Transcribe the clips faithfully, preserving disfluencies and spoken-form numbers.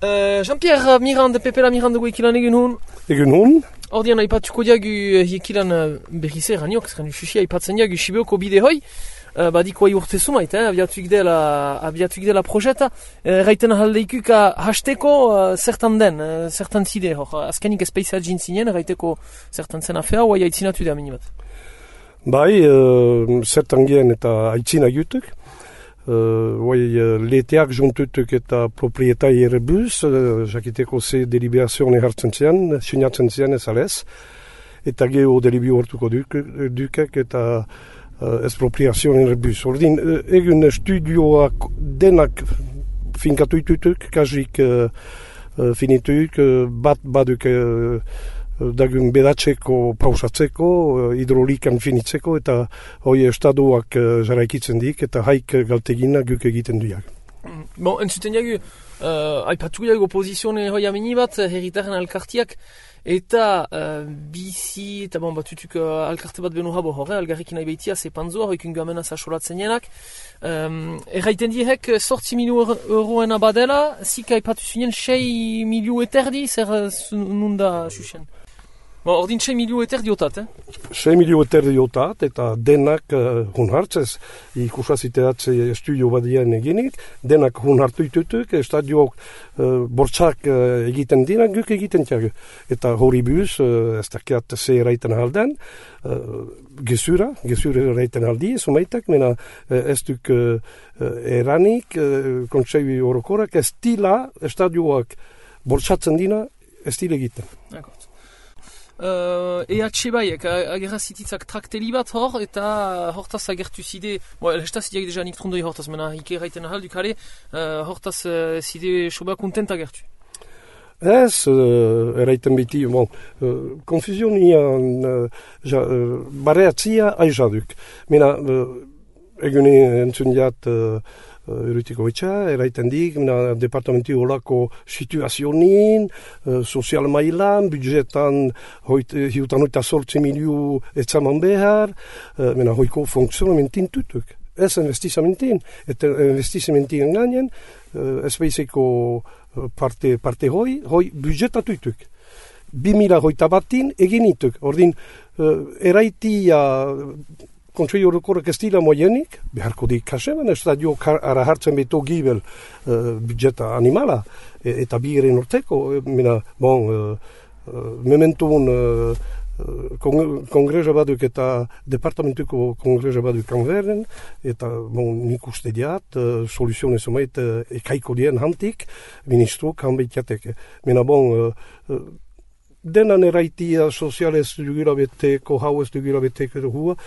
Uh, Jean-Pierre Mirande, Pepela Mirande goekilan egun hon. Egun hon. Ordian aipatuko diagu hiekilan berriz eraniok, zerren ususi aipatzen diagu Sibeoko bide hoi. Uh, badiko ai urte sumait, eh, abiatuik dela, abiatuik dela projeta. Uh, Raiten ahaldeikuk hasteko uh, zertan den, uh, zertan zide hor. Azkenik espeiza jintzinen, raiteko zertan zen afea, oai aitzinatu da minibat. Bai, uh, zertan gen eta aitzina jutuk. Uh, Oai uh, leteak juntutuk eta proprietai erebuz, uh, jakiteko ze deliberazione hartzen zian, sinatzen zian ez alez. Eta geho delibio hortuko duk, dukek eta uh, espropriazione erebuz. Ordin, uh, egun studioak denak finkatuitutuk, kasik uh, uh, finituik, uh, bat baduk uh, dagun bedatzeko, pausatzeko, hidrolikan finitzeko, eta hoi estadoak uh, jarraikitzen dik, eta haik galtegina guk egiten duak. Bon, entzuten jagu, uh, aipatu jagu oposizione hoi amini bat, herritaren alkartiak, eta uh, bizi, eta bon, batutuk uh, alkarte bat benu habo horre, algarrikin nahi behitia, zepanzoa, hoikun gamena zasolatzen jenak. Um, erraiten diehek, sortzi miliu euroen abadela, zik aipatu zinen, sei miliu eterdi, zer nunda xuxen? Bon, ordin sei miliu eterdi otat, eh? sei miliu eterdi otat, eta denak uh, hun hartzez, ikusaziteatze estudio badien eginik, denak hun hartu itutuk, estadioak uh, bortzak uh, egiten dira, guk egiten tiago. Eta hori buz, uh, ez dakiat ze eraiten alden, uh, gezura, gezura eraiten aldi, sumaitak, mena uh, ez duk uh, eranik, uh, kontseibi orokorak, ez dila estadioak bortzatzen dira, ez dila egiten. D'accord. Uh, E H baiek agerra zititzak trakteli bat hor, eta hortaz agertu zide, bo, elestaz zideak deja nik trondoi hortaz, mena hike erraiten ahal dukale, uh, hortaz uh, zide soba kontent agertu. Ez, uh, eraiten beti, bon, uh, konfusionian uh, ja, uh, bareatzia aizaduk. Mena, uh, egune entzun jat, uh, Erutiko etxa, eraiten dik, departamenti horako situazionin, uh, sozial mailan, budgetan hiutan oita sortzi miliu etzaman behar, uh, mena hoiko funksionamentin tutuk. Ez investizamentin, eta investizamentin gainen, uh, ez behizeko parte, parte hoi, hoi budgetatutuk. Bi mila hoita batin eginituk. Ordin, uh, eraitia Kontsei orokorrak ez dira moienik, beharko dik kaseban, estadio ara hartzen beto gibel uh, budgeta animala, e, eta bigeren orteko, mena, bon, uh, uh, mementun uh, kong kongresa baduk eta departamentuko kongresa baduk kanverden, eta bon, nik uste diat, uh, soluzione somait uh, ekaiko dien hantik, ministro kanbeitiateke. Mena bon, uh, uh, denan eraitia sozialez dugira beteko, hauez dugira beteko hua,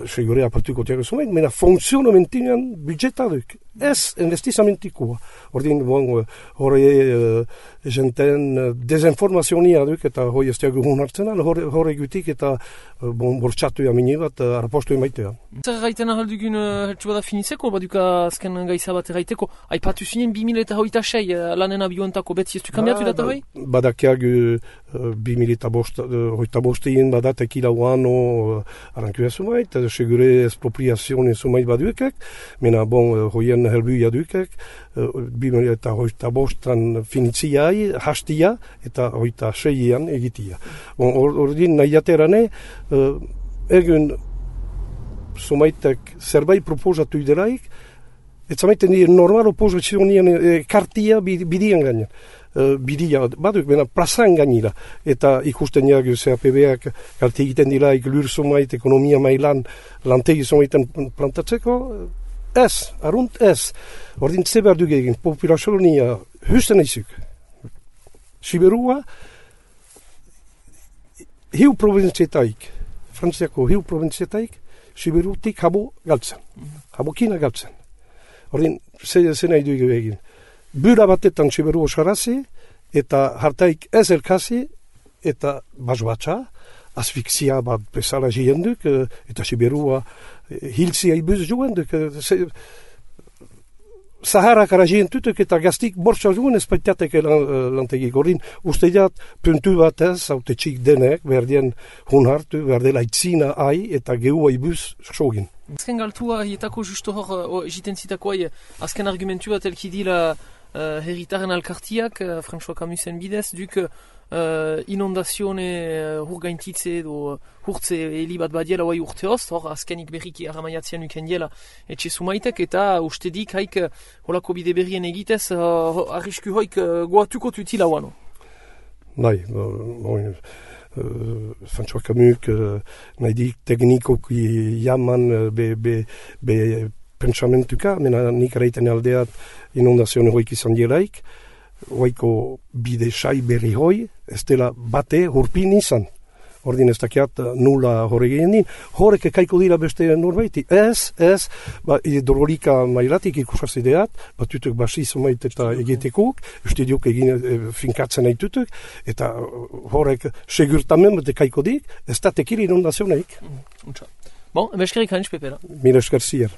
segure apaltuko tiago zumait, mena funksionamentinan budgetaduk, ez investizamentikoa. Ordin, bon, hori uh, jenten uh, dezinformazionia duk, eta hori ez tiago hun hartzen, hori gutik eta uh, bon, bortxatu jamini bat, uh, arapostu emaitea. Zer gaiten ahaldugun uh, heltsu bada finitzeko, baduka azken gaiza bat erraiteko, aipatu zinen bi mila eta hoita sei uh, lanen abioentako beti ez du kambiatu ba, data hoi? Badakiagu uh, bi mila eta hoita bostein badat ekila uano uh, arankua zumait, eta segure espropriazione zumait baduekak, mena bon, hoien helbuia dukak, bi mila eta hoita bostan finitziai, hastia, eta hoita seian egitia. Bon, ordin nahiaterane, uh, egun zumaitek zerbait proposatu ideraik, ez zamaiten dira normal oposizionien e, kartia bidian gainen. Uh, bidia baduk, bena plazan gainera, eta ikusten jagu C A P B-ak karte egiten dira lur zumait, ekonomia mailan lantegi zumaiten plantatzeko, ez, arunt ez. Ordin ze behar duk egin, populazionia husten eizuk. Siberua, hiu provinzietaik, frantziako hiu provinzietaik, Siberutik habo galtzen, habokina galtzen. Ordin, ze, ze nahi duk egin. Bura batetan Siberu osarazi, eta hartaik ez elkazi, eta bazbatza, asfikzia bat bezala jienduk, eta Siberua hilzia ibuz joenduk. Saharak ara jientutuk eta gaztik bortza joen espaitiatek lantegik. Ordin, uste jat, puntu batez, haute txik denek, berdien hun hartu, berdela itzina ai, eta gehua ibuz sogin. Azken galtua, hietako justo hor, jiten zitako ai, azken argumentu bat elki dila uh, herritaren alkartiak, uh, François Camusen bidez, duk uh, inondazione uh, hurgaintitze edo hurtze heli bat badiela oai urteoz, hor azkenik berriki aramaiatzean uken diela etxe sumaitek, eta ustedik haik uh, holako bide berrien egitez uh, arrisku hoik uh, goatuko tutila wano. Bai, bon, Uh, François Camus uh, nahi dik teknikoki jaman uh, be, be, be pentsamentuka, mena nik eraiten aldeat inundazione hoik izan dielaik, hoiko bide sai berri hoi, ez dela bate hurpin izan. Ordin ez dakiat nula horre gehien din, horrek ekaiko dira beste norbaiti. Ez, ez, ba, hidrolika mailatik ikusazideat, bat tutuk basi zomait eta egetekuk, uste diok egin e, finkatzen nahi tutuk, eta horrek segurtamen bat ekaiko dik, ez da tekiri inundazioneik. Mm, bon, beskerik hainz pepera. Mila esker zier.